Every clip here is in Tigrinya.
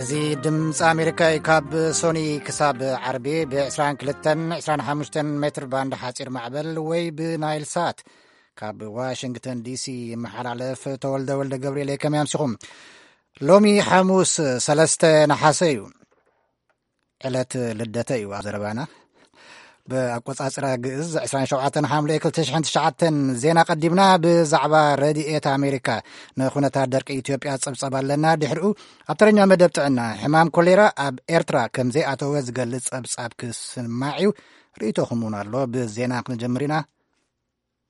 እዚ ድምፂ ኣሜሪካ እዩ። ካብ ሶኒ ክሳብ ዓርቢ ብ22፣ 25 ሜትር ባንድ ሓፂር ማዕበል ወይ ብናይል ሳት ካብ ዋሽንግተን ዲሲ ይመሓላለፍ። ተወልደ ወልደ ገብርኤል፣ ከመይ ኣምሲኹም? ሎሚ ሓሙስ 3 ነሓሰ እዩ። ዕለት ልደተ እዩ ኣብ ዘረባና። ብኣቆጻጽራ ግእዝ 27 ሓምለ 2009። ዜና ቀዲምና። ብዛዕባ ረድኤት ኣሜሪካ ንኹነታት ደርቂ ኢትዮጵያ ጸብጸብ ኣለና። ድሕሪኡ ኣብ ተረኛ መደብ ጥዕና፣ ሕማም ኮሌራ ኣብ ኤርትራ ከም ዘይኣተወ ዝገልጽ ጸብጻብ ክስማዕ እዩ። ርእይቶኹም እውን ኣሎ። ብዜና ክንጀምር ኢና።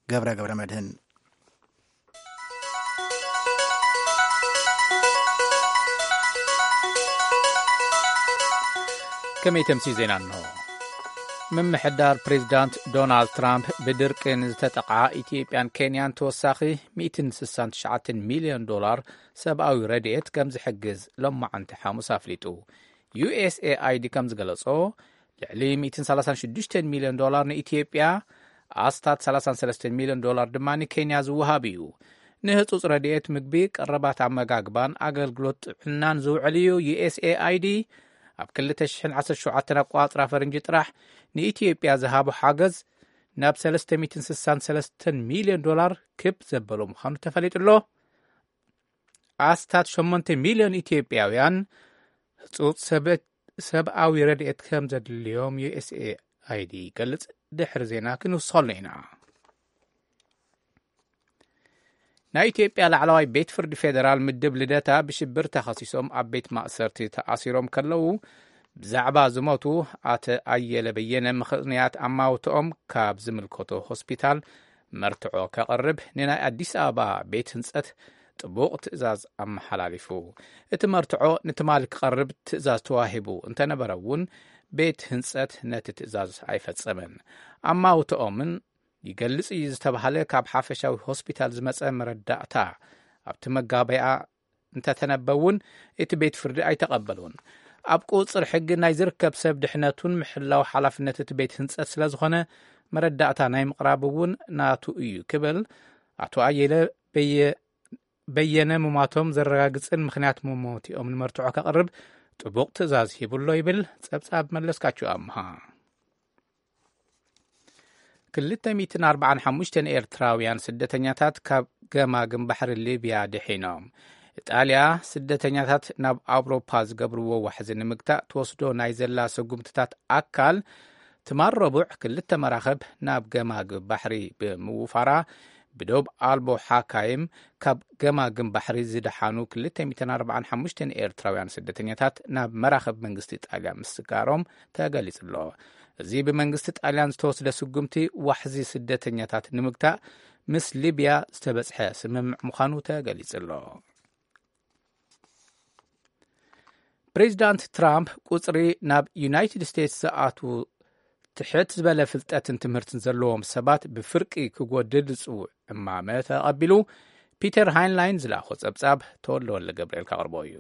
ገብረ ገብረ መድህን። ከመይ ተምሲ ዜና እንሆ። ምምሕዳር ፕሬዚዳንት ዶናልድ ትራምፕ ብድርቂ ንዝተጠቕዓ ኢትዮጵያን ኬንያን ተወሳኺ 169 ሚልዮን ዶላር ሰብኣዊ ረድኤት ከም ዝሕግዝ ሎማዓንቲ ሓሙስ ኣፍሊጡ። ዩ ኤስ ኤ ኣይ ዲ ከም ዝገለጾ፣ ልዕሊ 136 ሚልዮን ዶላር ንኢትዮጵያ፣ ኣስታት 33 ሚልዮን ዶላር ድማ ንኬንያ ዝወሃብ እዩ። ንህጹጽ ረድኤት ምግቢ፣ ቀረባት ኣመጋግባን ኣገልግሎት ጥዕናን ዝውዕል እዩ። ዩ ኤስ ኤ ኣይ ዲ ኣብ 2017 ኣቋጽራ ፈረንጂ ጥራሕ ንኢትዮጵያ ዝሃቦ ሓገዝ ናብ 363 ሚልዮን ዶላር ክብ ዘበሎ ምዃኑ ተፈሊጡ ኣሎ። ኣስታት 8 ሚልዮን ኢትዮጵያውያን ህጹጽ ሰበት-፣ ሰብኣዊ ረድኤት ከም ዘድልዮም ዩ ኤስ ኤ ኣይ ዲ ይገልጽ። ድሕሪ ዜና ክንውስኸሉ ኢና። ናይ ኢትዮጵያ ላዕለዋይ ቤት ፍርዲ ፌዴራል ምድብ ልደታ ብሽብር ተኸሲሶም ኣብ ቤት ማእሰርቲ ተኣሲሮም ከለዉ፣ ብዛዕባ ዝሞቱ ኣተ ኣየለ በየነ ምኽንያት ኣማውትኦም ካብ ዝምልከቶ ሆስፒታል መርትዖ ከቕርብ ንናይ ኣዲስ ኣበባ ቤት ህንጸት ጥቡቕ ትእዛዝ ኣመሓላሊፉ። እቲ መርትዖ ንትማሊ ክቐርብ ትእዛዝ ተዋሂቡ እንተነበረ እውን፣ ቤት ህንጸት ነቲ ትእዛዝ ኣይፈጸመን። ኣማውትኦምን ይገልጽ እዩ ዝተባህለ ካብ ሓፈሻዊ ሆስፒታል ዝመጸ መረዳእታ ኣብቲ መጋበያ እንተተነበ እውን፣ እቲ ቤት ፍርዲ ኣይተቐበሉን። ኣብ ቁጽር ሕጊ ናይ ዝርከብ ሰብ ድሕነቱን ምሕላው ሓላፍነት እቲ ቤት ህንጸት ስለ ዝኾነ፣ መረዳእታ ናይ ምቕራብ እውን ናቱ እዩ ክብል፣ ኣቶ ኣየለ በየ-፣ በየነ ምሟቶም ዘረጋግጽን ምኽንያት መሞቲኦም ንመርትዖ ከቕርብ ጥቡቕ ትእዛዝ ሂቡሎ ይብል ጸብጻብ መለስካቸው ኣምሃ። 245 ኤርትራውያን ስደተኛታት ካብ ገማግም ባሕሪ ሊብያ ድሒኖም። ኢጣልያ ስደተኛታት ናብ ኣውሮፓ ዝገብርዎ ዋሕዚ ንምግታእ ትወስዶ ናይ ዘላ ስጉምትታት ኣካል፣ ትማል ረቡዕ ክልተ መራኽብ ናብ ገማግም ባሕሪ ብምውፋራ፣ ብዶብ ኣልቦ ሓካይም ካብ ገማግም ባሕሪ ዝደሓኑ 245 ኤርትራውያን ስደተኛታት ናብ መራኽብ መንግስቲ ጣልያን ምስጋሮም ተገሊጹ ኣሎ። እዚ ብመንግስቲ ጣልያን ዝተወስደ ስጉምቲ ዋሕዚ ስደተኛታት ንምግታእ ምስ ሊብያ ዝተበጽሐ ስምምዕ ምዃኑ ተገሊጹ ኣሎ። ፕሬዚዳንት ትራምፕ ቁጽሪ ናብ ዩናይትድ ስቴትስ ዝኣትዉ ትሕት ዝበለ ፍልጠትን ትምህርትን ዘለዎም ሰባት ብፍርቂ ክጎድል ዝጽውዕ እማመ ተቐቢሉ። ፒተር ሃይንላይን ዝለኣኾ ጸብጻብ ተወልደ ወልደ ገብርኤል ከቕርቦ እዩ።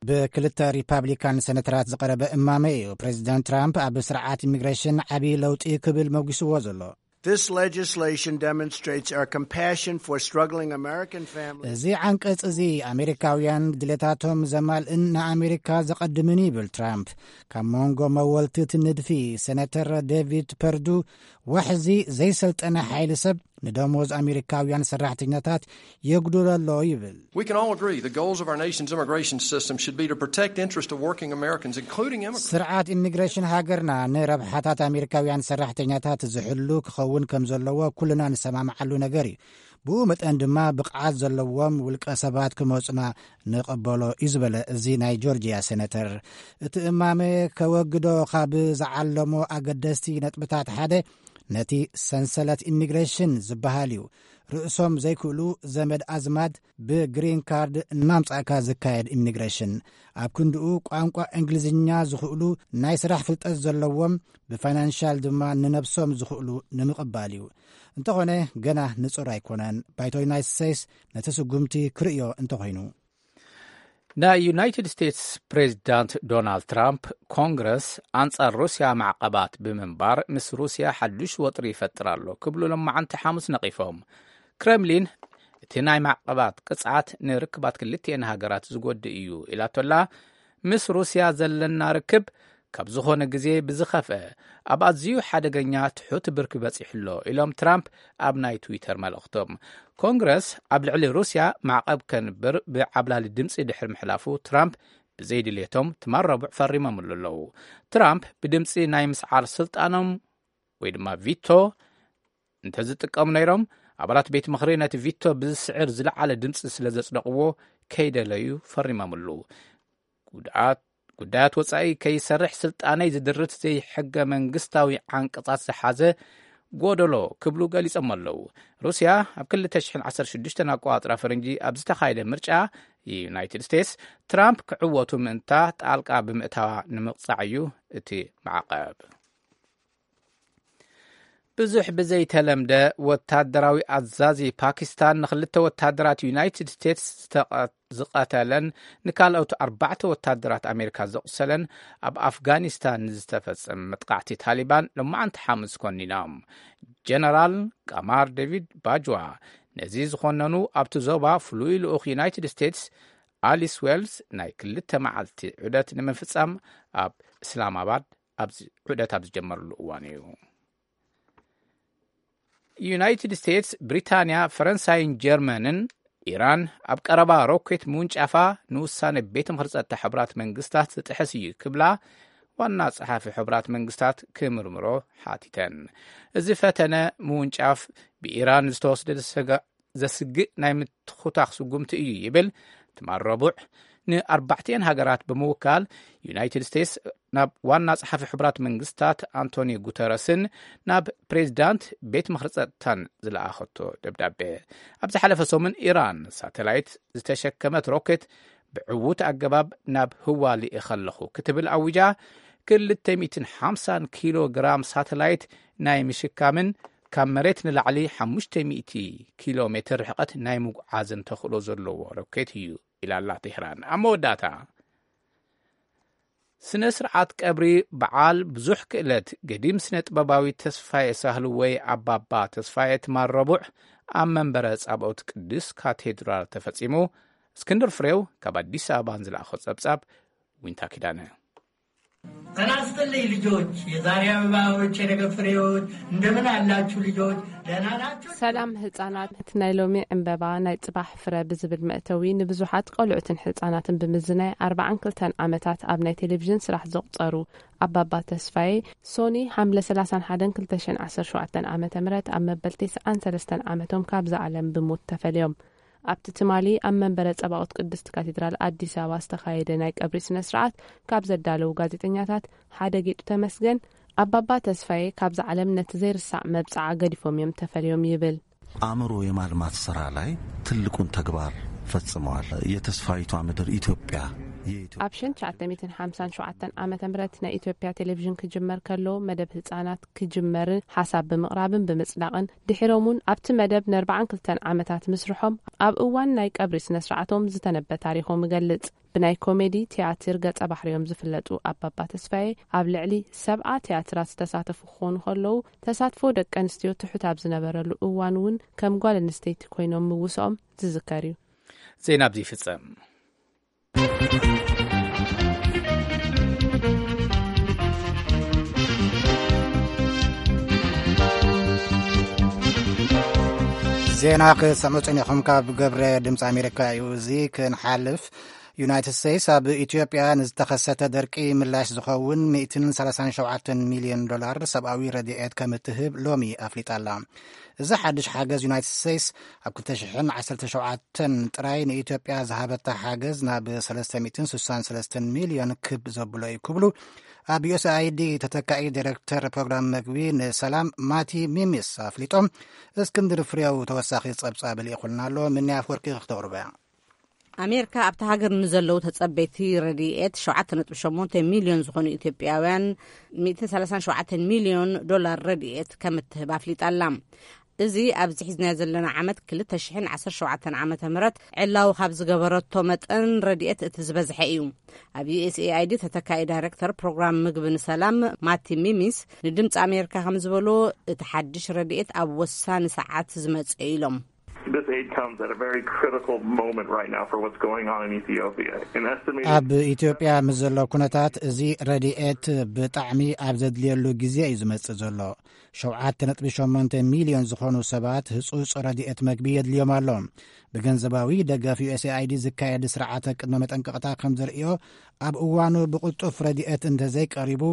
ብክልተ ሪፓብሊካን ሰነተራት ዝቐረበ እማመ እዩ ፕሬዚዳንት ትራምፕ ኣብ ስርዓት ኢሚግሬሽን ዓብዪ ለውጢ ክብል መጒስዎ ዘሎ። This legislation demonstrates our compassion for struggling American families. እዚ ዓንቀጽ እዚ ኣሜሪካውያን ድሌታቶም ዘማልእን ንኣሜሪካ ዘቐድምን ይብል ትራምፕ። ካብ መንጎ መወልቲ እቲ ንድፊ፣ ሰነተር ዴቪድ ፐርዱ፣ ዋሕዚ ዘይሰልጠነ ሓይሊ ሰብ ንደሞዝ ኣሜሪካውያን ሰራሕተኛታት የጉድሎ ኣሎ ይብል። We can all agree the goals of our nation's immigration system should be to protect interest of working Americans, including immigrants. ስርዓት ኢሚግሬሽን ሃገርና ንረብሓታት ኣሜሪካውያን ሰራሕተኛታት ዝሕሉ ክኸውን ከም ዘለዎ ኩልና ንሰማምዓሉ ነገር እዩ። ብኡ መጠን ድማ ብቕዓት ዘለዎም ውልቀ ሰባት ክመጹና ንቐበሎ እዩ ዝበለ እዚ ናይ ጆርጂያ ሴነተር፣ እቲ እማመ ከወግዶ ካብ ዝዓለሞ ኣገደስቲ ነጥብታት ሓደ ነቲ ሰንሰለት ኢሚግሬሽን ዝበሃል እዩ። ርእሶም ዘይክእሉ ዘመድ ኣዝማድ ብግሪን ካርድ እናምጻእካ ዝካየድ ኢሚግሬሽን፣ ኣብ ክንድኡ ቋንቋ እንግሊዝኛ ዝኽእሉ፣ ናይ ስራሕ ፍልጠት ዘለዎም፣ ብፋይናንሻል ድማ ንነብሶም ዝኽእሉ ንምቕባል እዩ። እንተኾነ ገና ንጹር ኣይኮነን። ባይቶ ዩናይትድ ስቴትስ ነቲ ስጉምቲ ክርእዮ እንተኾይኑ። ናይ ዩናይትድ ስቴትስ ፕሬዚዳንት ዶናልድ ትራምፕ፣ ኮንግረስ ኣንጻር ሩስያ ማዕቐባት ብምንባር ምስ ሩስያ ሓዱሽ ወጥሪ ይፈጥር ኣሎ ክብሉ ሎማዓንቲ ሓሙስ ነቒፎም። ክረምሊን እቲ ናይ ማዕቐባት ቅጽዓት ንርክባት ክልቲኤን ሃገራት ዝጎድእ እዩ ኢላቶላ። ምስ ሩስያ ዘለና ርክብ ካብ ዝኾነ ግዜ ብዝኸፍአ ኣብ ኣዝዩ ሓደገኛ ትሑት ብርኪ በጺሑ ኣሎ ኢሎም ትራምፕ ኣብ ናይ ትዊተር መልእኽቶም። ኮንግረስ ኣብ ልዕሊ ሩስያ ማዕቐብ ከንብር ብዓብላሊ ድምፂ ድሕሪ ምሕላፉ ትራምፕ ብዘይድልየቶም ትማል ረቡዕ ፈሪሞምሉ ኣለዉ። ትራምፕ ብድምፂ ናይ ምስዓር ስልጣኖም ወይ ድማ ቪቶ እንተዝጥቀሙ ነይሮም፣ ኣባላት ቤት ምኽሪ ነቲ ቪቶ ብዝስዕር ዝለዓለ ድምፂ ስለ ዘጽደቕዎ ከይደለዩ ፈሪሞምሉ። ጉድኣት ጉዳያት ወጻኢ ከይሰርሕ ስልጣነይ ዝድርት ዘይሕገ መንግስታዊ ዓንቀጻት ዝሓዘ ጎደሎ ክብሉ ገሊጾም ኣለዉ። ሩስያ ኣብ ክልተ ሽሕን ዓሰርተ ሽዱሽተን ኣቆጻጽራ ፈረንጂ ኣብ ዝተኻየደ ምርጫ ዩናይትድ ስቴትስ ትራምፕ ክዕወቱ ምእንታ ጣልቃ ብምእታዋ ንምቕጻዕ እዩ እቲ ማዕቐብ። ብዙሕ ብዘይተለምደ ወታደራዊ ኣዛዚ ፓኪስታን ንክልተ ወታደራት ዩናይትድ ስቴትስ ዝተቐ- ዝቐተለን ንካልኦት ኣርባዕተ ወታደራት ኣሜሪካ ዘቑሰለን ኣብ ኣፍጋኒስታን ንዝተፈጸመ መጥቃዕቲ ታሊባን ሎማዓንቲ ሓሙስ ኮኒኖም። ጀነራል ቃማር ዴቪድ ባጅዋ ነዚ ዝኾነኑ ኣብቲ ዞባ ፍሉይ ልኡኽ ዩናይትድ ስቴትስ ኣሊስ ዌልስ ናይ ክልተ መዓልቲ ዑደት ንምፍጻም ኣብ እስላማባድ ኣብዚ ዑደት ኣብ ዝጀመርሉ እዋን እዩ። ዩናይትድ ስቴትስ፣ ብሪታንያ፣ ፈረንሳይን ጀርመንን ኢራን ኣብ ቀረባ ሮኬት ምውንጫፋ ንውሳነ ቤት ምኽሪ ጸጥታ ሕቡራት መንግስታት ዝጥሕስ እዩ ክብላ ዋና ጸሓፊ ሕቡራት መንግስታት ክምርምሮ ሓቲተን። እዚ ፈተነ ምውንጫፍ ብኢራን ዝተወስደ ዘሰጋ- ዘስግእ ናይ ምትኹታኽ ስጉምቲ እዩ ይብል። ትማል ረቡዕ ንኣርባዕቲኤን ሃገራት ብምውካል ዩናይትድ ስቴትስ ናብ ዋና ጸሓፊ ሕቡራት መንግስታት ኣንቶኒዮ ጉተረስን ናብ ፕሬዚዳንት ቤት ምኽሪ ጸጥታን ዝለኣኸቶ ደብዳቤ። ኣብ ዝሓለፈ ሰሙን ኢራን ሳተላይት ዝተሸከመት ሮኬት ብዕዉት ኣገባብ ናብ ህዋ ልኢኸ ኣለኹ ክትብል ኣዊጃ፣ ክልተ ሚእትን ሓምሳን ኪሎ ግራም ሳተላይት ናይ ምሽካምን ካብ መሬት ንላዕሊ ሓሙሽተ ሚእቲ ኪሎ ሜትር ርሕቀት ናይ ምጉዓዝን ተኽእሎ ዘለዎ ሮኬት እዩ ኢላ ኣላ ቴህራን። ኣብ መወዳእታ፣ ስነ ስርዓት ቀብሪ በዓል ብዙሕ ክእለት ገዲም ስነ ጥበባዊ ተስፋዬ ሳህሉ ወይ ኣባባ ተስፋዬ ትማል ረቡዕ ኣብ መንበረ ጻብኦት ቅዱስ ካቴድራል ተፈጺሙ። እስክንድር ፍሬው ካብ ኣዲስ ኣበባ ንዝለኣኾ ጸብጻብ ዊንታ ኪዳነ። ጤና ይስጥልኝ ልጆች፣ የዛሬ አበባዎች፣ የነገ ፍሬዎች። እንደምን አላችሁ ልጆች? ደህና ናችሁ? ሰላም ህጻናት፣ እቲ ናይ ሎሚ ዕምበባ ናይ ጽባሕ ፍረ ብዝብል መእተዊ ንብዙሓት ቆልዑትን ህጻናትን ብምዝናይ ኣርባዓን ክልተን ዓመታት ኣብ ናይ ቴሌቪዥን ስራሕ ዘቑጸሩ ኣባባ ተስፋዬ፣ ሶኒ ሓምለ ሰላሳን ሓደን ክልተ ሽሕን ዓሰርተ ሸውዓተን ዓመተ ምህረት ኣብ መበል ተስዓን ሰለስተን ዓመቶም ካብዛ ዓለም ብሞት ተፈልዮም። ኣብቲ ትማሊ ኣብ መንበረ ጸባኦት ቅድስት ካቴድራል ኣዲስ ኣበባ ዝተኻየደ ናይ ቀብሪ ስነ ስርዓት ካብ ዘዳለዉ ጋዜጠኛታት ሓደ ጌጡ ተመስገን፣ ኣባባ ተስፋዬ ካብዛ ዓለም ነቲ ዘይርሳዕ መብጽዓ ገዲፎም እዮም ተፈልዮም ይብል። አእምሮ የማልማት ስራ ላይ ትልቁን ተግባር ፈጽመዋል። የተስፋይቷ ምድር ኢትዮጵያ የኢትዮ- ኣብ ሸን ትሽዓተ ሚእትን ሓምሳን ሸውዓተን ዓመተ ምህረት ናይ ኢትዮጵያ ቴሌቪዥን ክጅመር ከሎ መደብ ህጻናት ክጅመርን ሓሳብ ብምቕራብን ብምጽዳቕን ድሒሮም እውን ኣብቲ መደብ ንኣርባዓን ክልተን ዓመታት ምስርሖም ኣብ እዋን ናይ ቀብሪ ስነ ስርዓቶም ዝተነበ ታሪኾም ይገልጽ። ብናይ ኮሜዲ ትያትር ገጸ ባህርዮም ዝፍለጡ ኣባባ ተስፋዬ ኣብ ልዕሊ ሰብዓ ትያትራት ዝተሳተፉ ክኾኑ ከለዉ ተሳትፎ ደቂ ኣንስትዮ ትሑት ኣብ ዝነበረሉ እዋን እውን ከም ጓል ኣንስተይቲ ኮይኖም ምውስኦም ዝዝከር እዩ። ዜና ኣብዚ ይፍጸም። ዜና ክሰምዑ ጸኒኹም ካብ ገብረ ድምፂ ኣሜሪካ እዩ። እዚ ክንሓልፍ ዩናይትድ ስቴትስ ኣብ ኢትዮጵያ ንዝተኸሰተ ደርቂ ምላሽ ዝኸውን ሚእትን ሰላሳን ሸውዓተን ሚልዮን ዶላር ሰብኣዊ ረድኤት ከም እትህብ ሎሚ ኣፍሊጣ ኣላ። እዚ ሓድሽ ሓገዝ ዩናይትድ ስቴትስ ኣብ ክልተ ሽሕን ዓሰርተ ሸውዓተን ጥራይ ንኢትዮጵያ ዝሃበታ ሓገዝ ናብ ሰለስተ ሚእትን ስሳን ሰለስተን ሚልዮን ክብ ዘብሎ እዩ ክብሉ ኣብ ዩኤስኣይዲ ተተካኢ ዲሬክተር ፕሮግራም መግቢ ንሰላም ማቲ ሚሚስ ኣፍሊጦም። እስክንድር ፍሬው ተወሳኺ ጸብጻብ ልኢኹልና ኣሎ። ምንያ ኣፍወርቂ ክተቕርበያ። ኣሜሪካ ኣብቲ ሃገር ንዘለዉ ተጸበይቲ ረድኤት ሸውዓተ ነጥቢ ሸሞንተ ሚልዮን ዝኾኑ ኢትዮጵያውያን ሚእትን ሰላሳን ሸውዓተን ሚልዮን ዶላር ረድኤት ከም እትህብ ኣፍሊጣ ኣላ። እዚ ኣብዚ ሒዝናዮ ዘለና ዓመት ክልተ ሽሕን ዓሰርተ ሸውዓተን ዓመተ ምህረት ዕላዊ ካብ ዝገበረቶ መጠን ረድኤት እቲ ዝበዝሐ እዩ። ኣብ ዩኤስኤኣይዲ ተተካኢ ዳይሬክተር ፕሮግራም ምግቢ ንሰላም ማቲ ሚሚስ ንድምፂ ኣሜሪካ ከም ዝበሎ እቲ ሓድሽ ረድኤት ኣብ ወሳኒ ሰዓት ዝመፀ እዩ ኢሎም። This aid comes at a very critical moment right now for what's going on in Ethiopia. An estimated ኣብ ኢትዮጵያ ምስ ዘሎ ኩነታት፣ እዚ ረድኤት ብጣዕሚ ኣብ ዘድልየሉ ግዜ እዩ ዝመጽእ ዘሎ። ሸውዓተ ነጥቢ ሸሞንተ ሚልዮን ዝኾኑ ሰባት ህጹጽ ረድኤት መግቢ የድልዮም ኣሎ። ብገንዘባዊ ደገፍ ዩ ኤስ ኤ ኣይ ዲ ዝካየድ ስርዓተ ቅድመ መጠንቀቕታ ከም ዘርእዮ፣ ኣብ እዋኑ ብቕልጡፍ ረድኤት እንተዘይቀሪቡ፣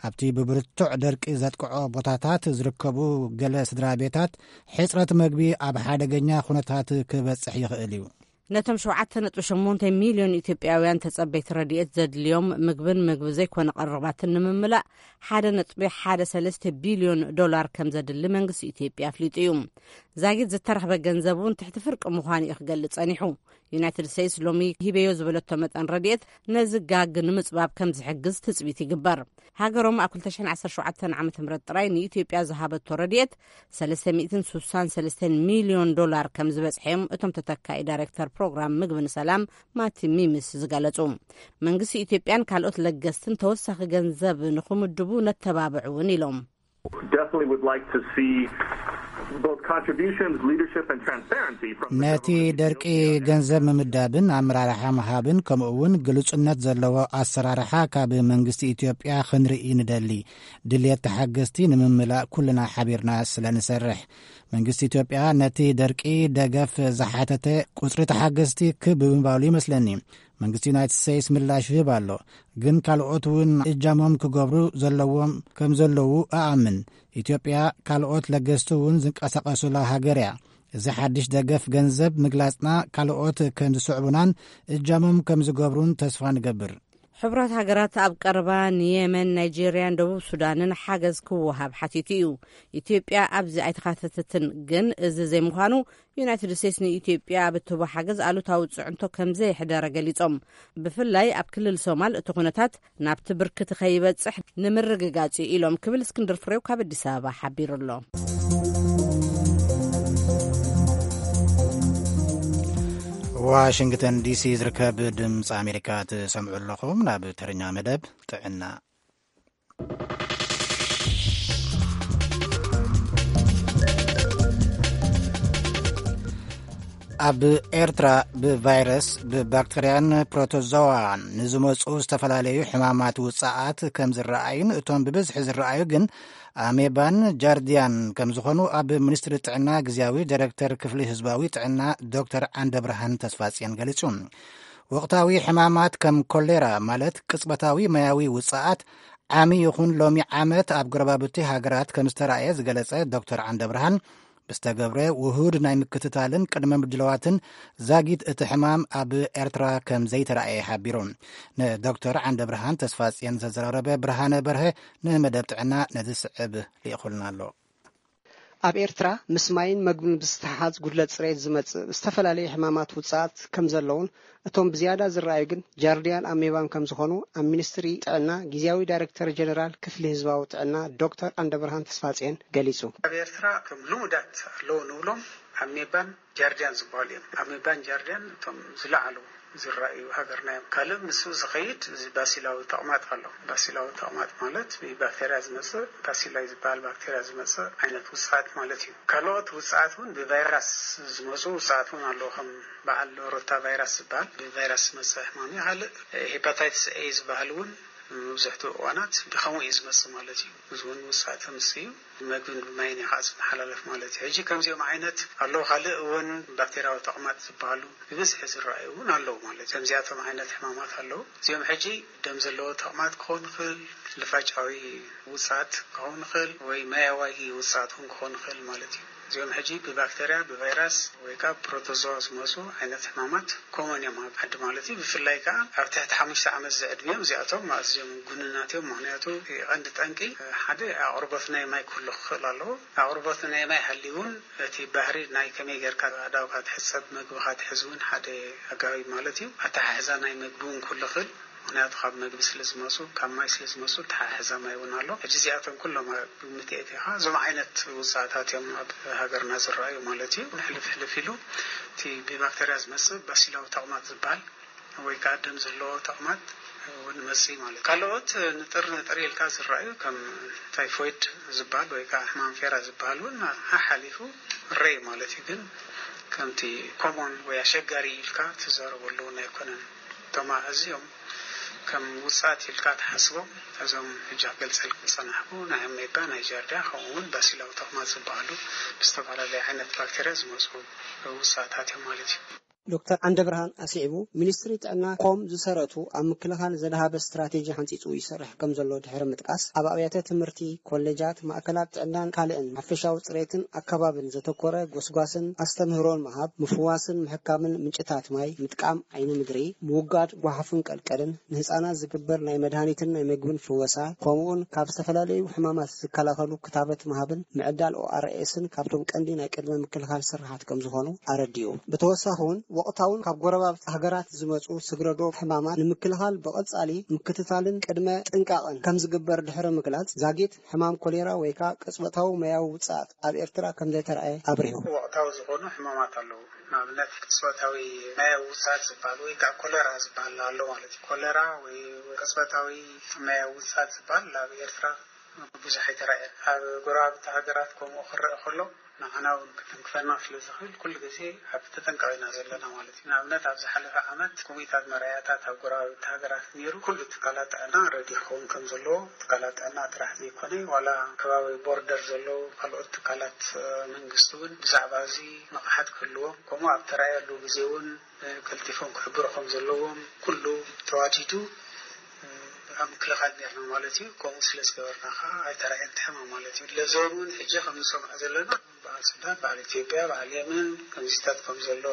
ኣብቲ ብብርቱዕ ደርቂ ዘጥቅዖ ቦታታት ዝርከቡ ገለ ስድራ ቤታት፣ ሕጽረት መግቢ ኣብ ሓደገኛ ኩነታት ክበጽሕ ይኽእል እዩ። ነቶም ሸውዓተ ነጥቢ ሸሞንተ ሚልዮን ኢትዮጵያውያን ተጸበይቲ ረድኤት ዘድልዮም ምግብን ምግቢ ዘይኮነ ቀረባትን ንምምላእ፣ ሓደ ነጥቢ ሓደ ሰለስተ ቢልዮን ዶላር ከም ዘድሊ መንግስቲ ኢትዮጵያ ኣፍሊጡ እዩ። ዛጊት ዝተረኽበ ገንዘብ እውን ትሕቲ ፍርቂ ምዃኑ እዩ ክገልጽ ጸኒሑ። ዩናይትድ ስቴትስ ሎሚ ሂበዮ ዝበለቶ መጠን ረድኤት ነዚ ጋግ ንምጽባብ ከም ዝሕግዝ ትጽቢት ይግበር። ሃገሮም ኣብ ክልተ ሽሕን ዓሰርተ ሸውዓተን ዓመተ ምህረት ጥራይ ንኢትዮጵያ ዝሃበቶ ረድኤት ሰለስተ ሚእትን ስሳን ሰለስተን ሚልዮን ዶላር ከም ዝበጽሐ እዮም እቶም ተተካኢ ዳይሬክተር ፕሮግራም ምግቢ ንሰላም ማቲ ሚምስ ዝገለጹ። መንግስቲ ኢትዮጵያን ካልኦት ለገስትን ተወሳኺ ገንዘብ ንኽምድቡ ነተባብዕ እውን ኢሎም። Definitely would like to see both contributions, leadership, and transparency from the ነቲ government of ደርቂ Ethiopia. ገንዘብ ምምዳብን ኣመራርሓ ምሃብን፣ ከምኡ እውን ግሉጽነት ዘለዎ ኣሰራርሓ ካብ መንግስቲ ኢትዮጵያ ክንርኢ ንደሊ። ድልየት ተሓገዝቲ ንምምላእ ኩልና ሓቢርና ስለ ንሰርሕ፣ መንግስቲ ኢትዮጵያ ነቲ ደርቂ ደገፍ ዝሓተተ ቁጽሪ ተሓገዝቲ ክብ ብምባሉ ይመስለኒ መንግስቲ ዩናይትድ ስቴትስ ምላሽ ይህብ ኣሎ። ግን ካልኦት እውን እጃሞም ክገብሩ ዘለዎም ከም ዘለዉ እኣምን። ኢትዮጵያ ካልኦት ለገስቲ እውን ዝንቀሳቐሱላ ሃገር እያ። እዚ ሓድሽ ደገፍ ገንዘብ ምግላጽና ካልኦት ከም ዝስዕቡናን እጃሞም ከም ዝገብሩን ተስፋ ንገብር። ሕቡራት ሃገራት ኣብ ቀረባ ንየመን፣ ናይጄርያን ደቡብ ሱዳንን ሓገዝ ክወሃብ ሓቲቱ እዩ። ኢትዮጵያ ኣብዚ ኣይተኻተተትን። ግን እዚ ዘይምዃኑ ዩናይትድ ስቴትስ ንኢትዮጵያ ኣብ እትህቦ ሓገዝ ኣሉታዊ ጽዕንቶ ከም ዘየሕደረ ገሊጾም። ብፍላይ ኣብ ክልል ሶማል እቲ ኩነታት ናብቲ ብርክቲ ከይበጽሕ ንምርግጋጽ እዩ ኢሎም ክብል እስክንድር ፍሬው ካብ ኣዲስ ኣበባ ሓቢሩ ኣሎ። ዋሽንግተን ዲሲ ዝርከብ ድምፂ ኣሜሪካ ትሰምዑ ኣለኹም። ናብ ተረኛ መደብ ጥዕና። ኣብ ኤርትራ ብቫይረስ፣ ብባክተርያን ፕሮቶዞዋን ንዝመፁ ዝተፈላለዩ ሕማማት ውፅኣት ከም ዝረኣዩን እቶም ብብዝሒ ዝረኣዩ ግን ኣሜባን ጃርዲያን ከም ዝኾኑ ኣብ ሚኒስትሪ ጥዕና ግዝያዊ ዳይሬክተር ክፍሊ ህዝባዊ ጥዕና ዶክተር ዓንደብርሃን ተስፋጽዮን ገሊጹ። ወቕታዊ ሕማማት ከም ኮሌራ ማለት ቅጽበታዊ ማያዊ ውጽኣት ዓሚ ይኹን ሎሚ ዓመት ኣብ ጎረባብቲ ሃገራት ከም ዝተራእየ ዝገለጸ ዶክተር ዓንደብርሃን፣ ብዝተገብረ ውሁድ ናይ ምክትታልን ቅድመ ምድላዋትን ዛጊት እቲ ሕማም ኣብ ኤርትራ ከም ዘይተራእየ ሓቢሩ። ንዶክተር ዓንደብርሃን ተስፋጽዮን ዘዘራረበ ብርሃነ በርሀ ንመደብ ጥዕና ነዚ ስዕብ ልኢኹልና ኣሎ። ኣብ ኤርትራ ምስ ማይን መግብን ብዝተሓሓዝ ጉድለት ጽሬት ዝመጽእ ዝተፈላለዩ ሕማማት ውጽኣት ከም ዘለውን እቶም ብዝያዳ ዝረኣዩ ግን ጃርዲያን ኣሜባን ከም ዝኾኑ ኣብ ሚኒስትሪ ጥዕና ግዝያዊ ዳይሬክተር ጀነራል ክፍሊ ህዝባዊ ጥዕና ዶክተር ዓንደብርሃን ተስፋጽዮን ገሊጹ። ኣብ ኤርትራ ከም ልሙዳት ኣለዉ ንብሎም ኣሜባን ጃርዲያን ዝበሃሉ እዮም። ኣሜባን ጃርዲያን እቶም ዝለዓሉ ዝረኣዩ ሃገርና እዮም። ካልእ ምስኡ ዝኸይድ እዚ ባሲላዊ ተቕማጥ ኣሎ። ባሲላዊ ተቕማጥ ማለት ብባክተርያ ዝመጽእ ባሲላይ ዝበሃል ባክተርያ ዝመጽእ ዓይነት ውጽኣት ማለት እዩ። ካልኦት ውጽኣት እውን ብቫይራስ ዝመጹ ውጽኣት እውን ኣለዉ። ከም በዓል ሮታ ቫይራስ ዝበሃል ብቫይራስ ዝመጽእ ሕማም እዩ። ካልእ ሄፓታይትስ ኤ ዝበሃል እውን መብዝሕትኡ እዋናት ብኸምኡ እዩ ዝመጽእ ማለት እዩ። እዚ እውን ውጽኣት ተምስ እዩ። ብመግብን ብማይን እዩ ከዓ ዝመሓላለፍ ማለት እዩ። ሕጂ ከምዚኦም ዓይነት ኣለዉ። ካልእ እውን ባክቴርያዊ ተቕማጥ ዝበሃሉ ብብዝሒ ዝረኣዩ እውን ኣለዉ ማለት እዩ። ከምዚኣቶም ዓይነት ሕማማት ኣለዉ። እዚኦም ሕጂ ደም ዘለዎ ተቕማጥ ክኸውን ይኽእል፣ ልፋጫዊ ውፅኣት ክኸውን ይኽእል፣ ወይ ማያዋጊ ውፅኣት እውን ክኸውን ይኽእል ማለት እዩ። እዚኦም ሕጂ ብባክተርያ፣ ብቫይራስ ወይ ከዓ ብፕሮቶዞዋ ዝመፁ ዓይነት ሕማማት ኮመን እዮም ኣብ ዓዲ ማለት እዩ። ብፍላይ ከዓ ኣብ ትሕቲ ሓሙሽተ ዓመት ዝዕድሚኦም እዚኣቶም ኣዝዮም ጉኑናት እዮም። ምኽንያቱ እቲ ቀንዲ ጠንቂ ሓደ ኣቕርቦት ናይ ማይ ክህሉ ክኽእል ኣለዎ። ኣቕርቦት ናይ ማይ ሃልዩ እውን እቲ ባህሪ ናይ ከመይ ጌርካ ኣእዳውካ ትሕጸብ፣ መግብኻ ትሕዝ እውን ሓደ ኣገባብ ማለት እዩ። ኣተሓሕዛ ናይ መግቢ እውን ክህሉ ይኽእል። ምኽንያቱ ካብ መግቢ ስለ ዝመፁ፣ ካብ ማይ ስለ ዝመፁ፣ ኣተሓሕዛ ማይ እውን ኣሎ። ሕጂ እዚኣቶም ኩሎም ኣብ ግምት የእቲኻ፣ እዞም ዓይነት ውፅኣታት እዮም ኣብ ሃገርና ዝረኣዩ ማለት እዩ። ሕልፍ ሕልፍ ኢሉ እቲ ብባክተርያ ዝመፅእ ባሲላዊ ተቕማጥ ዝበሃል ወይ ከዓ ደም ዘለዎ ተቕማጥ እውን መፅእ ማለት እዩ። ካልኦት ንጥር ንጥር ኢልካ ዝረኣዩ ከም ታይፎይድ ዝበሃል ወይ ከዓ ሕማም ፌራ ዝበሃል እውን ሓሓሊፉ ይረኣዩ ማለት እዩ። ግን ከምቲ ኮሞን ወይ ኣሸጋሪ ኢልካ ትዛረበሉ እውን ኣይኮነን። እቶም ኣዝዮም ከም ውፅኣት ኢልካ ትሓስቦም፣ እዞም ሕጂ ክገልፀልኩም ዝፀናሕኩ ናይ ኣሜባ፣ ናይ ጃርዲያ፣ ከምኡ እውን ባሲላዊ ተቕማጥ ዝበሃሉ ብዝተፈላለየ ዓይነት ባክተርያ ዝመፁ ውፅኣታት እዮም ማለት እዩ። ዶክተር ዓንደብርሃን ኣስዒቡ፣ ሚኒስትሪ ጥዕና ኮም ዝሰረቱ ኣብ ምክልኻል ዘድሃበ ስትራቴጂ ሓንፂፁ ይሰርሕ ከም ዘሎ ድሕሪ ምጥቃስ፣ ኣብ ኣብያተ ትምህርቲ፣ ኮሌጃት፣ ማእከላት ጥዕናን ካልእን ሓፈሻዊ ፅሬትን ኣከባብን ዘተኮረ ጎስጓስን ኣስተምህሮን ምሃብ፣ ምፍዋስን ምሕካምን ምንጭታት ማይ፣ ምጥቃም ዓይኒ ምድሪ፣ ምውጋድ ጓሓፍን ቀልቀልን፣ ንህፃናት ዝግበር ናይ መድሃኒትን ናይ ምግብን ፍወሳ፣ ከምኡውን ካብ ዝተፈላለዩ ሕማማት ዝከላኸሉ ክታበት ምሃብን ምዕዳል ኦኣርኤስን ካብቶም ቀንዲ ናይ ቅድመ ምክልኻል ስራሓት ከም ዝኾኑ ኣረዲኡ። ብተወሳኺ እውን ወቕታውን ካብ ጎረባብቲ ሃገራት ዝመፁ ስግረዶ ሕማማት ንምክልኻል ብቐፃሊ ምክትታልን ቅድመ ጥንቃቕን ከም ዝግበር ድሕሪ ምግላፅ፣ ዛጊት ሕማም ኮሌራ ወይ ከዓ ቅጽበታዊ ማያዊ ውፅኣት ኣብ ኤርትራ ከም ዘይተረኣየ ኣብሪሁ። ወቕታዊ ዝኾኑ ሕማማት ኣለዉ። ንኣብነት ቅጽበታዊ ማያዊ ውፅኣት ዝበሃል ወይ ከዓ ኮሌራ ዝበሃል ኣሎ ማለት እዩ። ኮሌራ ወይ ቅጽበታዊ ማያዊ ውፅኣት ዝበሃል ኣብ ኤርትራ ብዙሕ ኣይተራእየን። ኣብ ጎረባብቲ ሃገራት ከምኡ ክረአ ከሎ ንዓና እውን ክትንክፈና ስለ ዝኽእል ኩሉ ግዜ ኣብ ተጠንቀቕ ኢና ዘለና ማለት እዩ። ንኣብነት ኣብ ዝሓለፈ ዓመት ኩሚታት መርኣያታት ኣብ ጎረባብቲ ሃገራት ነይሩ። ኩሉ ትካላት ጥዕና ረዲ ክኸውን ከም ዘለዎ ትካላት ጥዕና ጥራሕ ዘይኮነ ዋላ ከባቢ ቦርደር ዘለዉ ካልኦት ትካላት መንግስቲ እውን ብዛዕባ እዚ ንቕሓት ክህልዎም ከምኡ ኣብ ተራእየሉ ግዜ እውን ቀልጢፎም ክሕብሩ ከም ዘለዎም ኩሉ ተዋዲዱ ኣብ ምክልኻል ነርና ማለት እዩ። ከምኡ ስለ ዝገበርና ከዓ ኣይተራእየን እቲ ሕማም ማለት እዩ። ለዞን እውን ሕጂ ከም ንሰምዖ ዘለና በዓል ሱዳን፣ በዓል ኢትዮጵያ፣ በዓል የመን ከምዚታት ከም ዘሎ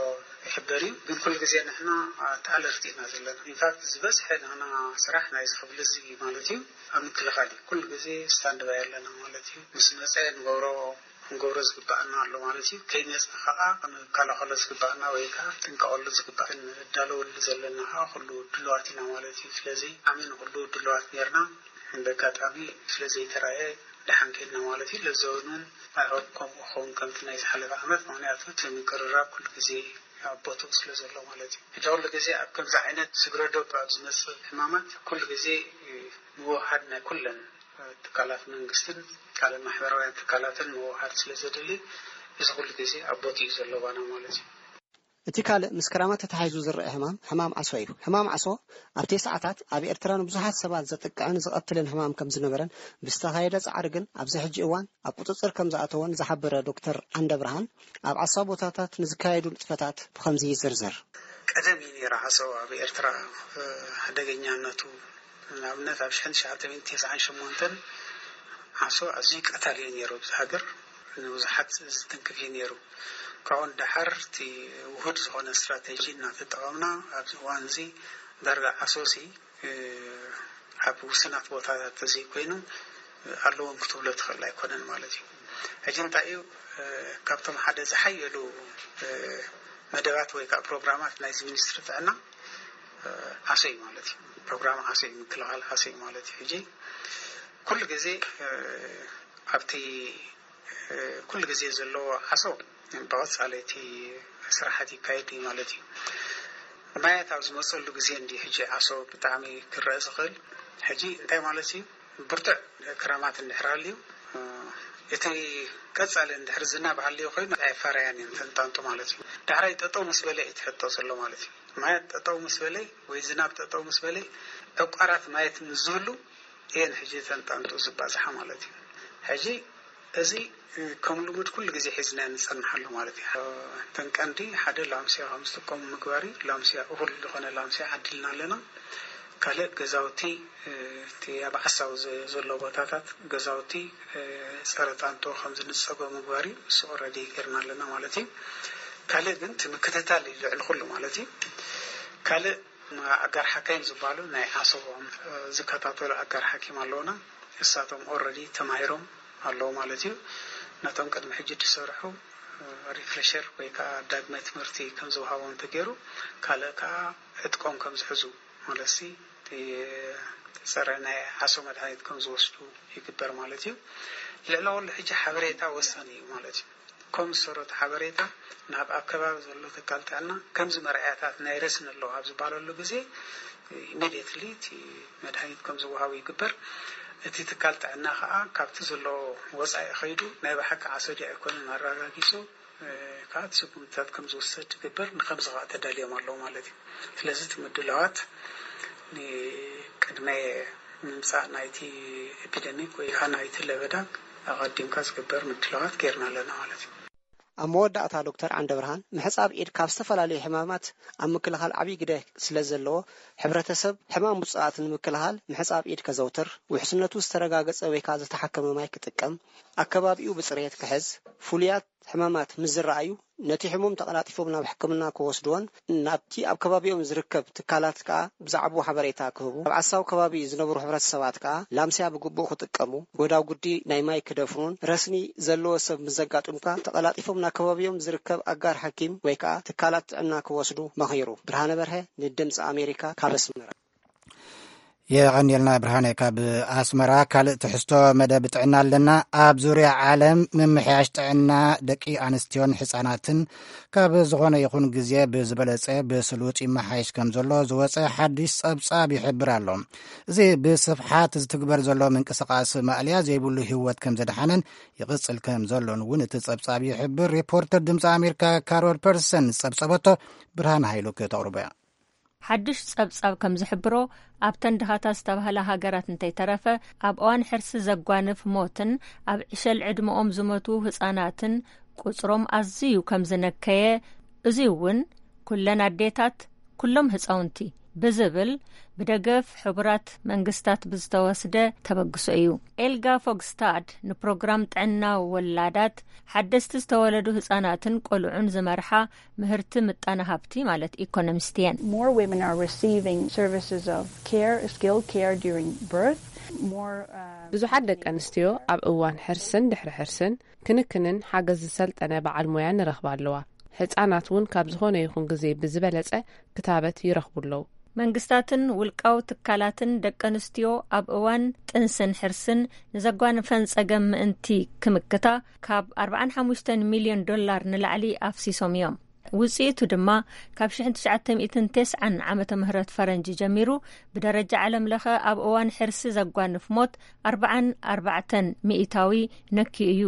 ይሕበር እዩ። ግን ኩሉ ግዜ ንሕና ኣቲ ኣለርቲ ኢና ዘለና። ኢንፋክት ዝበዝሐ ናና ስራሕ ናይዚ ክፍሊ እዚ ማለት እዩ ኣብ ምክልኻል እዩ። ኩሉ ግዜ ስታንድ ባይ ኣለና ማለት እዩ። ምስ መፀ ንገብሮ ክንገብሮ ዝግባኣና ኣሎ ማለት እዩ። ከይመፅና ከዓ ክንከላኸሎ ዝግባኣና ወይ ከዓ ክንጥንቀቐሉ ዝግባእ ክንዳለወሉ ዘለና ከዓ ኩሉ ድልዋት ኢና ማለት እዩ። ስለዚ ዓሚ ንኩሉ ድልዋት ነርና። እንደ ኣጋጣሚ ስለዘይተራየ ደሓን ከድና ማለት እዩ። ለዘውንን ኣይሆፕ ከምኡ ክኸውን ከምቲ ናይ ዝሓለፈ ዓመት፣ ምክንያቱ እቲ ምቅርራብ ኩሉ ግዜ ኣብ ቦትኡ ስለ ዘሎ ማለት እዩ። ሕጂ ኩሉ ግዜ ኣብ ከምዚ ዓይነት ስግረዶብ ኣብ ዝመፅእ ሕማማት ኩሉ ግዜ ምውሃድ ናይ ኩለን ትካላት መንግስትን ካልእ ማሕበራውያን ትካላትን ምውሃድ ስለ ዘድሊ እዚ ኩሉ ግዜ ኣብ ቦትኡ እዩ ዘሎ ባና ማለት እዩ። እቲ ካልእ ምስ ክራማት ተተሓሒዙ ዝረአ ሕማም ሕማም ዓሶ እዩ። ሕማም ዓሶ ኣብቲ ሰዓታት ኣብ ኤርትራ ንብዙሓት ሰባት ዘጥቅዕን ዝቐትልን ሕማም ከም ዝነበረን ብዝተኻየደ ጻዕሪ ግን ኣብዚ ሕጂ እዋን ኣብ ቁጽጽር ከም ዝኣተወን ዝሓበረ ዶክተር ዓንደብርሃን ኣብ ዓሳ ቦታታት ንዝካየዱ ንጥፈታት ብኸምዚ ይዝርዝር። ቀደም እዩ ነይሩ ዓሶ ኣብ ኤርትራ ሓደገኛነቱ ንኣብነት ኣብ ሽሕን ትሽዓተ ሚእትን ተስዓን ሸሞንተን ዓሶ ኣዝዩ ቀታሊ እዩ ነይሩ ኣብዚ ሃገር። ንብዙሓት ዝትንክፍ እዩ ነይሩ። ካብኡ ንደሓር እቲ ውሁድ ዝኾነ ስትራቴጂ እናተጠቐምና ኣብዚ እዋን እዚ ዳርጋ ዓሶ ሲ ኣብ ውስናት ቦታታት ተዘይኮይኑ ኣለዎም ክትብሎ ትኽእል ኣይኮነን ማለት እዩ። ሕጂ እንታይ እዩ ካብቶም ሓደ ዝሓየሉ መደባት ወይ ከዓ ፕሮግራማት ናይዚ ሚኒስትሪ ጥዕና ዓሶ እዩ ማለት እዩ። ፕሮግራም ዓሶ እዩ፣ ምክልኻል ዓሶ እዩ ማለት እዩ። ሕጂ ኩሉ ግዜ ኣብቲ ኩሉ ግዜ ዘለዎ ዓሶ ብቐፃሊ እቲ ስራሓት ይካየድ እዩ ማለት እዩ። ማያት ኣብ ዝመፀሉ ግዜ እንዲ ሕጂ ዓሶ ብጣዕሚ ክረአ ዝኽእል። ሕጂ እንታይ ማለት እዩ? ብርቱዕ ክራማት እንድሕር ሃልዩ እቲ ቀፃሊ እንድሕር ዝናብ ሃልዮ ኮይኑ ኣይፈረያን እየን ተንጣንጡ ማለት እዩ። ዳሕራይ ጠጠው ምስ በለ እዩ ትሕቶ ዘሎ ማለት እዩ። ማያት ጠጠው ምስ በለ ወይ ዝናብ ጠጠው ምስ በለ ዕቋራት ማየት ምስ ዝህሉ እየን ሕጂ ተንጣንጡ ዝባዝሓ ማለት እዩ። ሕጂ እዚ ከም ልሙድ ኩሉ ግዜ ሒዝና ንፀንሓሉ ማለት እዩ። እተን ቀንዲ ሓደ ላምስያ ከም ዝጥቀሙ ምግባር እዩ። ላምስያ እኹል ዝኾነ ላምስያ ዓዲልና ኣለና። ካልእ ገዛውቲ እቲ ኣብ ዓሳው ዘሎ ቦታታት ገዛውቲ ፀረ ጣንጦ ከም ዝንፀጎ ምግባር እዩ። እሱ ኦረዲ ገርና ኣለና ማለት እዩ። ካልእ ግን እቲ ምክትታል እዩ ልዕሊ ኩሉ ማለት እዩ። ካልእ ኣጋር ሓካይም ዝበሃሉ ናይ ዓሶቦም ዝከታተሉ ኣጋር ሓኪም ኣለውና። እሳቶም ኦረዲ ተማሂሮም ኣለዉ ማለት እዩ። ነቶም ቅድሚ ሕጂ ዝሰርሑ ሪፍሬሸር ወይ ከዓ ዳግመ ትምህርቲ ከም ዝውሃቦም ተገይሩ ካልእ ከዓ ዕጥቆም ከም ዝሕዙ ማለት ሲ ፀረ ናይ ዓሶ መድሃኒት ከም ዝወስዱ ይግበር ማለት እዩ። ልዕሊ ኩሉ ሕጂ ሓበሬታ ወሳኒ እዩ ማለት እዩ። ከም ዝሰረቱ ሓበሬታ ናብ ኣብ ከባቢ ዘሎ ትካል ጥዕና ከምዚ መርኣያታት ናይ ረስኒ ኣለዎ ኣብ ዝበሃለሉ ግዜ ኢሚድየትሊ እቲ መድሃኒት ከም ዝወሃቡ ይግበር። እቲ ትካል ጥዕና ከዓ ካብቲ ዘለዎ ወፃኢ ከይዱ ናይ ብሓቂ ዓሶ ድዩ ኣይኮነን ኣረጋጊፁ ከዓ እቲ ስጉምትታት ከም ዝውሰድ ትግበር ንከምዚ ከዓ ተዳልዮም ኣለዉ ማለት እዩ። ስለዚ እቲ ምድላዋት ንቅድመ ምምፃእ ናይቲ ኤፒደሚክ ወይ ከዓ ናይቲ ለበዳ ኣቐዲምካ ዝግበር ምድላዋት ጌርና ኣለና ማለት እዩ። ኣብ መወዳእታ ዶክተር ዓንደብርሃን ምሕፃብ ኢድ ካብ ዝተፈላለዩ ሕማማት ኣብ ምክልኻል ዓብዪ ግደ ስለ ዘለዎ ሕብረተሰብ ሕማም ውፅኣት ንምክልኻል ምሕፃብ ኢድ ከዘውትር፣ ውሕስነቱ ዝተረጋገፀ ወይ ከዓ ዝተሓከመ ማይ ክጥቀም፣ ኣከባቢኡ ብፅሬት ክሕዝ፣ ፍሉያት ሕማማት ምስ ዝረኣዩ ነቲ ሕሙም ተቐላጢፎም ናብ ሕክምና ክወስድዎን ናብቲ ኣብ ከባቢኦም ዝርከብ ትካላት ከዓ ብዛዕባኡ ሓበሬታ ክህቡ፣ ኣብ ዓሳው ከባቢ ዝነብሩ ሕብረተሰባት ከዓ ላምስያ ብግቡእ ክጥቀሙ፣ ጎዳጉዲ ናይ ማይ ክደፍኑን ረስኒ ዘለዎ ሰብ ምስ ዘጋጥምካ ተቐላጢፎም ናብ ከባቢኦም ዝርከብ ኣጋር ሓኪም ወይ ከዓ ትካላት ጥዕና ክወስዱ መኺሩ። ብርሃነ በርሀ ንድምፂ ኣሜሪካ ካብ ኣስመራ። የቐንየልና ብርሃነ ካብ ኣስመራ። ካልእ ትሕዝቶ መደብ ጥዕና ኣለና። ኣብ ዙርያ ዓለም ምምሕያሽ ጥዕና ደቂ ኣንስትዮን ህፃናትን ካብ ዝኾነ ይኹን ግዜ ብዝበለፀ ብስሉጥ ይመሓየሽ ከም ዘሎ ዝወፀ ሓድሽ ፀብፃብ ይሕብር ኣሎ። እዚ ብስፍሓት ዝትግበር ዘሎ ምንቅስቃስ ማእለያ ዘይብሉ ህይወት ከም ዘድሓነን ይቕፅል ከም ዘሎን እውን እቲ ፀብፃብ ይሕብር። ሪፖርተር ድምፂ ኣሜሪካ ካሮል ፐርሰን ዝፀብፀበቶ ብርሃን ሃይሉ ክተቕርቦ እያ። ሓድሽ ጸብጻብ ከም ዝሕብሮ፣ ኣብተን ድኻታት ዝተባህላ ሃገራት እንተይተረፈ፣ ኣብ እዋን ሕርሲ ዘጓንፍ ሞትን ኣብ ዕሸል ዕድመኦም ዝሞቱ ህጻናትን ቁጽሮም ኣዝዩ ከም ዝነከየ፣ እዚ እውን ኩለን ኣዴታት፣ ኩሎም ህጻውንቲ ብዝብል ብደገፍ ሕቡራት መንግስታት ብዝተወስደ ተበግሶ እዩ። ኤልጋ ፎግስታድ ንፕሮግራም ጥዕና ወላዳት፣ ሓደስቲ ዝተወለዱ ህጻናትን ቆልዑን ዝመርሓ ምህርቲ ምጣነ ሃብቲ ማለት ኢኮኖሚስት እየን። More women are receiving services of care, skilled care during birth. More, uh, ብዙሓት ደቂ ኣንስትዮ ኣብ እዋን ሕርስን ድሕሪ ሕርስን ክንክንን ሓገዝ ዝሰልጠነ በዓል ሞያ ንረኽባ ኣለዋ። ህጻናት እውን ካብ ዝኾነ ይኹን ግዜ ብዝበለጸ ክታበት ይረኽቡ ኣለዉ። መንግስታትን ውልቃዊ ትካላትን ደቂ ኣንስትዮ ኣብ እዋን ጥንስን ሕርስን ንዘጓንፈን ጸገም ምእንቲ ክምክታ ካብ ኣርባዓን ሓሙሽተን ሚልዮን ዶላር ንላዕሊ ኣፍሲሶም እዮም። ውጽኢቱ ድማ ካብ ሽሕን ትሽዓተ ሚእትን ተስዓን ዓመተ ምህረት ፈረንጂ ጀሚሩ ብደረጃ ዓለም ለኸ ኣብ እዋን ሕርሲ ዘጓንፍ ሞት ኣርባዓን ኣርባዕተን ሚእታዊ ነክዩ እዩ።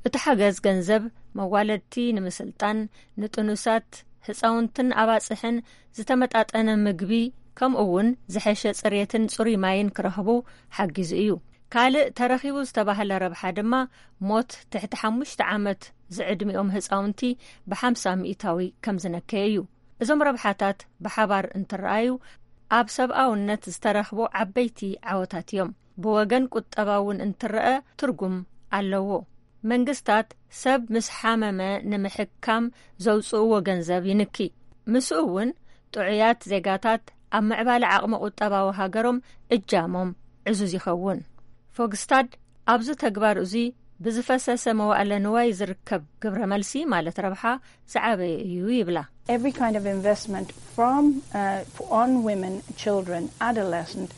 እቲ ሓገዝ ገንዘብ መዋለድቲ ንምስልጣን፣ ንጥኑሳት፣ ህጻውንትን ኣባጽሕን ዝተመጣጠነ ምግቢ፣ ከምኡ እውን ዝሐሸ ጽሬትን ጽሩይ ማይን ክረኽቡ ሓጊዙ እዩ። ካልእ ተረኺቡ ዝተባህለ ረብሓ ድማ ሞት ትሕቲ ሓሙሽተ ዓመት ዝዕድሚኦም ህጻውንቲ ብሓምሳ ሚእታዊ ከም ዝነከየ እዩ። እዞም ረብሓታት ብሓባር እንትረኣዩ ኣብ ሰብኣውነት ዝተረኽቡ ዓበይቲ ዓወታት እዮም። ብወገን ቁጠባ እውን እንትረኣ ትርጉም ኣለዎ። መንግስታት ሰብ ምስ ሓመመ ንምሕካም ዘውፅእዎ ገንዘብ ይንኪ። ምስኡ እውን ጥዑያት ዜጋታት ኣብ ምዕባለ ዓቕሚ ቁጠባዊ ሃገሮም እጃሞም ዕዙዝ ይኸውን። ፎግስታድ ኣብዚ ተግባር እዚ ብዝፈሰሰ መዋእለ ንዋይ ዝርከብ ግብረ መልሲ ማለት ረብሓ ዝዓበየ እዩ ይብላ። Every kind of investment from, uh, on women, children, adolescent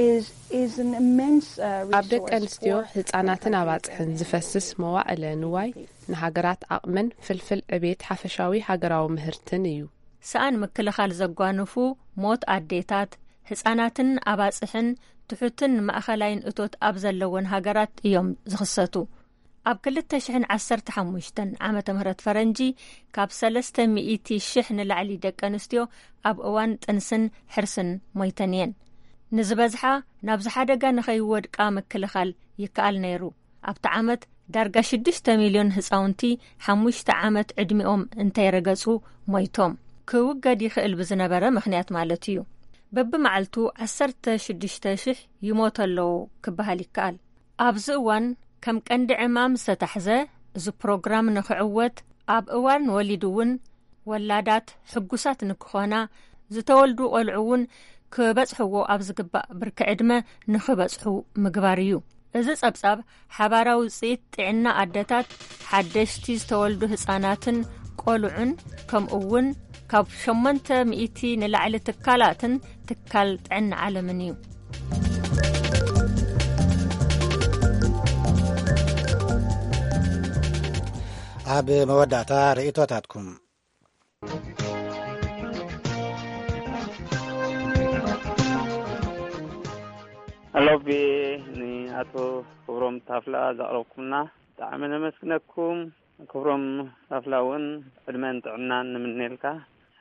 is, is an immense, uh, ኣብ ደቂ resource ኣንስትዮ for ህጻናትን ኣባጽሕን ዝፈስስ መዋእለ ንዋይ ንሃገራት ዓቕምን ፍልፍል ዕቤት ሓፈሻዊ ሃገራዊ ምህርትን እዩ። ሰኣን ምክልኻል ዘጓንፉ ሞት ኣዴታት፣ ህጻናትን ኣባጽሕን ትሑትን ማእኸላይን እቶት ኣብ ዘለወን ሃገራት እዮም ዝኽሰቱ። ኣብ ክልተ ሽሕን ዓሰርተ ሓሙሽተን ዓመተ ምህረት ፈረንጂ ካብ ሰለስተ ሚእቲ ሽሕ ንላዕሊ ደቂ ኣንስትዮ ኣብ እዋን ጥንስን ሕርስን ሞይተን እየን። ንዝበዝሓ ናብዚ ሓደጋ ንኸይወድቃ ምክልኻል ይከኣል ነይሩ። ኣብቲ ዓመት ዳርጋ ሽዱሽተ ሚልዮን ህጻውንቲ ሓሙሽተ ዓመት ዕድሚኦም እንተይረገጹ ሞይቶም። ክውገድ ይኽእል ብዝነበረ ምኽንያት ማለት እዩ። በብመዓልቱ ዓሰርተ ሽዱሽተ ሽሕ ይሞቱ ኣለዉ ክበሃል ይከኣል። ኣብዚ እዋን ከም ቀንዲ ዕማም ዝተታሕዘ፣ እዚ ፕሮግራም ንኽዕወት ኣብ እዋን ወሊድ እውን ወላዳት ሕጉሳት ንክኾና፣ ዝተወልዱ ቆልዑ እውን ክበጽሕዎ ኣብ ዝግባእ ብርኪ ዕድመ ንኽበጽሑ ምግባር እዩ። እዚ ጸብጻብ ሓባራዊ ውጽኢት ጥዕና ኣደታት፣ ሓደሽቲ ዝተወልዱ ህጻናትን ቆልዑን፣ ከምኡ እውን ካብ ሸሞንተ ሚእቲ ንላዕሊ ትካላትን ትካል ጥዕና ዓለምን እዩ። ኣብ መወዳእታ ርእይቶታትኩም። ኣሎቢ ንኣቶ ክብሮም ታፍላ ዘቕረብኩምና ብጣዕሚ ነመስግነኩም። ክብሮም ኣፍላ እውን ዕድመን ጥዕናን ንምነየልካ።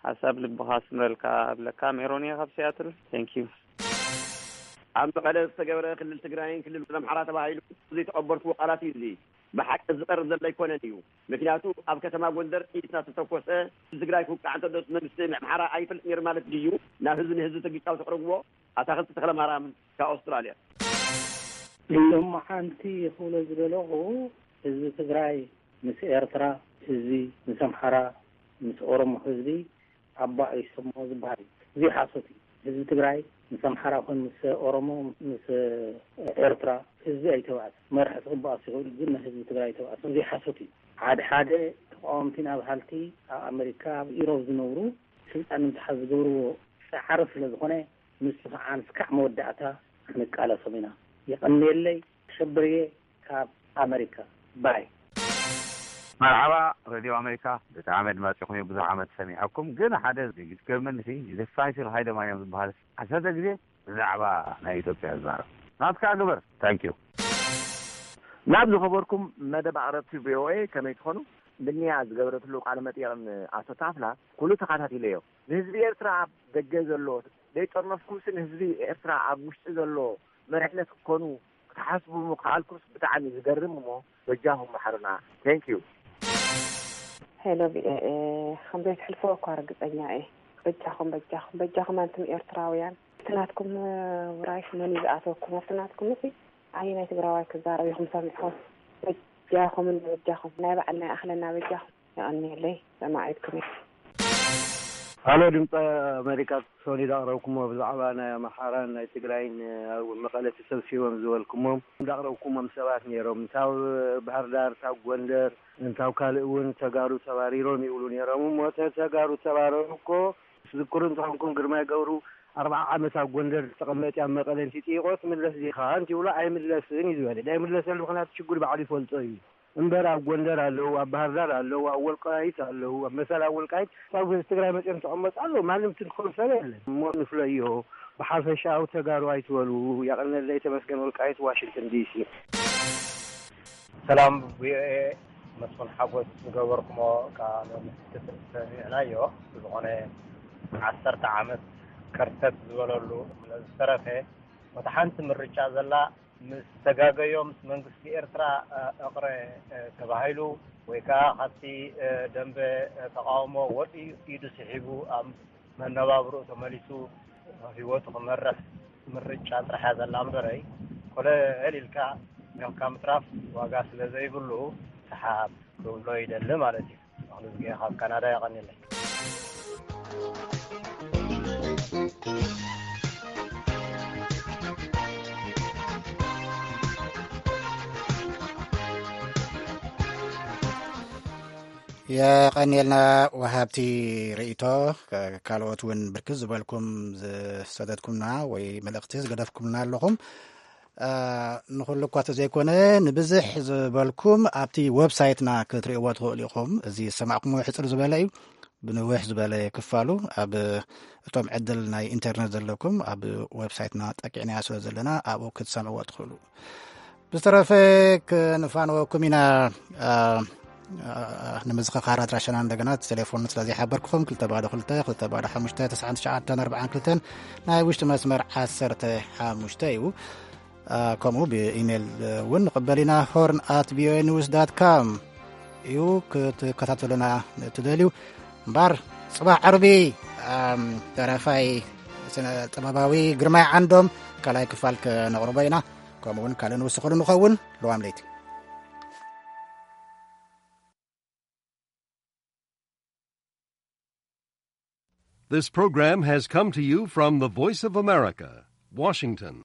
ሓሳብ ልብኻ ስምረልካ። ኣብለካ ሜሮን እየ ካብ ሲያትል። Thank you። ኣብ መቐለ ዝተገብረ ክልል ትግራይን ክልል ኣምሓራ ተባሂሉ ዘይተቐበልኩዎ ቃላት እዩ። እዚ ብሓቂ ዝቐርብ ዘሎ ኣይኮነን እዩ። ምክንያቱ ኣብ ከተማ ጎንደር ጥይት እናተተኮሰ ትግራይ ክውቃዕ እንተሎ መንግስቲ ኣምሓራ ኣይፈልጥ ነይሩ ማለት ድዩ? ናብ ህዝቢ ንህዝቢ ተግጫው ተቕርብዎ። ኣታኽልቲ ተኽለ ማርያም ካብ ኣውስትራልያ። ሎማዓንቲ ክብሎ ዝደለኹ፣ ህዝቢ ትግራይ ምስ ኤርትራ ህዝቢ፣ ምስ ኣምሓራ፣ ምስ ኦሮሞ ህዝቢ ኣባ ይሰሞ ዝበሃል እዩ። እዚ ሓሶት እዩ። ህዝቢ ትግራይ ምስ ኣምሓራ ኮን ምስ ኦሮሞ፣ ምስ ኤርትራ ህዝቢ ኣይተባእሰ። መራሒ ክበኣስ ይኽእል ግን ናይ ህዝቢ ትግራይ ኣይተባእሰ። እዚ ሓሶት እዩ። ሓደ ሓደ ተቃወምቲ ናብ ሃልቲ ኣብ ኣመሪካ፣ ኣብ ኢሮብ ዝነብሩ ስልጣን ንምትሓዝ ዝገብርዎ ፃዕሪ ስለ ዝኾነ፣ ንሱ ከዓ እስካዕ መወዳእታ ክንቃለሶም ኢና። የቐንየለይ። ሸብርየ ካብ ኣመሪካ። ባይ። መርሓባ ሬድዮ ኣመሪካ፣ ብጣዕሚ ኣድማፂኹም እየ፣ ብዙሕ ዓመት ሰሚዐኩም። ግን ሓደ ዝገርመኒ ሲ፣ ዘፋሽል ሃይለ ማርያም ዝበሃል ዓሰርተ ግዜ ብዛዕባ ናይ ኢትዮጵያ ዝዛረብ። ናትካ ግበር። ታንኪዩ። ናብ ዝኸበርኩም መደብ ኣቕረብቲ ቪ ኦ ኤ፣ ከመይ ትኾኑ? ብንያ ዝገበረትሉ ቃለ መጠይቕን ኣቶ ታፍላ ኩሉ ተኸታቲለዮ። ንህዝቢ ኤርትራ ኣብ ደገ ዘሎ ዘይጠርነፍኩምሲ ንህዝቢ ኤርትራ ኣብ ውሽጢ ዘሎ መሪሕነት ክትኮኑ ክትሓስቡ ምኽኣልኩምስ ብጣዕሚ ዝገርም እሞ በጃኹም መሓሩና። Thank you። ሄሎ ቪ ኦ ኤ፣ ከም ዘይትሕልፍዎ እኳ ርግጸኛ እየ። በጃኹም፣ በጃኹም፣ በጃኹም ኣንቱም ኤርትራውያን። እቲ ናትኩም ውራይስ መን እዩ ዝኣተወኩም? ኣብቲ ናትኩም እሲ ኣየናይ ትግራዋይ ክዛረብ ኢኹም ሰሚዕኹም? በጃኹም እንዶ በጃኹም፣ ናይ ባዕልና ይኣኽለና በጃኹም። የቐንየለይ፣ ሰማዒትኩም እየ። ሃሎ ድምፂ ኣሜሪካ፣ ሶኒ ዳቕረብኩሞ ብዛዕባ ናይ ኣምሓራን ናይ ትግራይን ኣብ መቐለ ተሰብሲቦም ዝበልኩሞም ዳቕረብኩሞም ሰባት ነይሮም። እንታብ ባህር ዳር፣ እንታብ ጎንደር፣ እንታብ ካልእ እውን ተጋሩ ተባሪሮም ይብሉ ነይሮም። እሞ እተ ተጋሩ ተባረሩ እኮ ትዝክሩ እንተኾንኩም ግርማይ ገብሩ ኣርብዓ ዓመት ኣብ ጎንደር ዝተቐመጠ ኣብ መቐለ እንቲጥይቖ ትምለስ ዲኻ እንቲብሎ ኣይምለስን እዩ ዝበለ። ዳይምለሰሉ ምኽንያቱ ሽጉር ባዕሉ ይፈልጦ እዩ። እምበር ኣብ ጎንደር ኣለዉ፣ ኣብ ባህር ዳር ኣለዉ፣ ኣብ ወልቃይት ኣለዉ። ኣብ መሰል ኣብ ወልቃይት ኣብ ትግራይ መፅኦም ተቐመጡ ኣለዉ። ማንም ትንኮም ሰብ የለን። እሞ ንፍለዮ፣ ብሓፈሻዊ ተጋሩ ኣይትበሉ። ያቐነለይ ተመስገን፣ ወልቃይት፣ ዋሽንግተን ዲ ሲ። ሰላም ቪ ኦ ኤ፣ መስፍን ሓጎስ ዝገበርኩሞ ቃለ ምሕትት ሰሚዕናዮ። ብዝኾነ ዓሰርተ ዓመት ከርተት ዝበለሉ ዝተረፈ ወታ ሓንቲ ምርጫ ዘላ ምስ ተጋገዮ ምስ መንግስቲ ኤርትራ፣ እ፣ እቕረ፣ እ፣ ተባሂሉ ወይ ከዓ ካብቲ፣ እ፣ ደንበ፣ እ፣ ተቃውሞ ወፂኡ ኢዱ ስሒቡ ኣብ መነባብርኡ ተመሊሱ ህይወቱ ክመርሕ ምርጫ ጥራሕ እያ ዘላ እምበረይ፣ ኮለል ኢልካ ሜኽካ ምትራፍ ዋጋ ስለ ዘይብሉ ሰሓብ ክብሎ ይደሊ ማለት እዩ። ኣኽሉ ዝገ ካብ ካናዳ የቐንየለይ። የቐንየልና ወሃብቲ ርእይቶ። ከ-፣ ካልኦት እውን ብርክት ዝበልኩም ዝሰደድኩምና ወይ መልእኽቲ ዝገደፍኩምና ኣለኹም። እ፣ ንኹሉ እኳ ተዘይኮነ ንብዝሕ ዝበልኩም ኣብቲ ዌብሳይትና ክትርእይዎ ትኽእሉ ኢኹም። እዚ ዝሰማዕኩምዎ ሕጽር ዝበለ እዩ። ብንውሕ ዝበለ ክፋሉ ኣብ እቶም ዕድል ናይ ኢንተርነት ዘለኩም ኣብ ዌብሳይትና ጠቂዕናዮ ስለ ዘለና ኣብኡ ክትሰምዕዎ ትኽእሉ። ብዝተረፈ ክንፋንወኩም ኢና። እ፣ እ፣ ንምዝኽኻር ኣድራሻና እንደገና እቲ ቴሌፎን ስለ ዘይሓበርኩኹም ክልተ ባዶ ክልተ፣ ክልተ ባዶ ሓሙሽተ፣ ተስዓን ትሽዓተን ኣርባዓን ክልተን ናይ ውሽጢ መስመር ዓሰርተ ሓሙሽተ እዩ። እ፣ ከምኡ ብኢሜይል እውን ንቕበል ኢና። ሆርን ኣት ቪኦኤ ኒውስ ዳት ካም እዩ ክትከታተሉና እትደልዩ። እምበር ጽባሕ ዓርቢ፣ እም፣ ደራፋይ ስነ ጥበባዊ ግርማይ ዓንዶም ካልኣይ ክፋል ከነቕርቦ ኢና። ከምኡ እውን ካልእ ንውስኸሉ ንኸውን። ለዋም ለይቲ። This program has come to you from the Voice of America, Washington.